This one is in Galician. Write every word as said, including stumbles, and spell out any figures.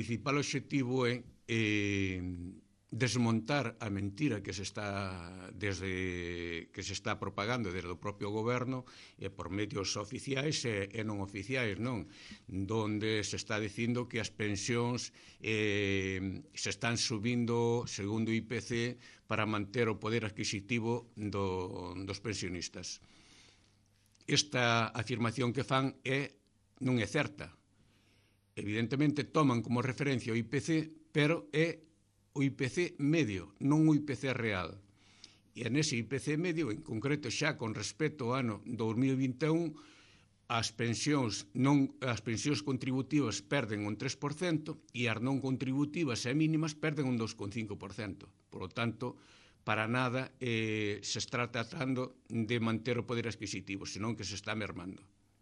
principal obxectivo é eh, desmontar a mentira que se está desde que se está propagando desde o propio goberno e por medios oficiais e, e non oficiais, non? Donde se está dicindo que as pensións eh, se están subindo segundo o I P C para manter o poder adquisitivo do, dos pensionistas. Esta afirmación que fan é non é certa. Evidentemente toman como referencia o I P C, pero é o I P C medio, non o I P C real. E nese I P C medio, en concreto xa con respecto ao ano dos mil vinte e un, as pensións, non, as pensións contributivas perden un tres por cento e as non contributivas e mínimas perden un dos coma cinco por cento. Por lo tanto, para nada eh, se está tratando de manter o poder adquisitivo, senón que se está mermando.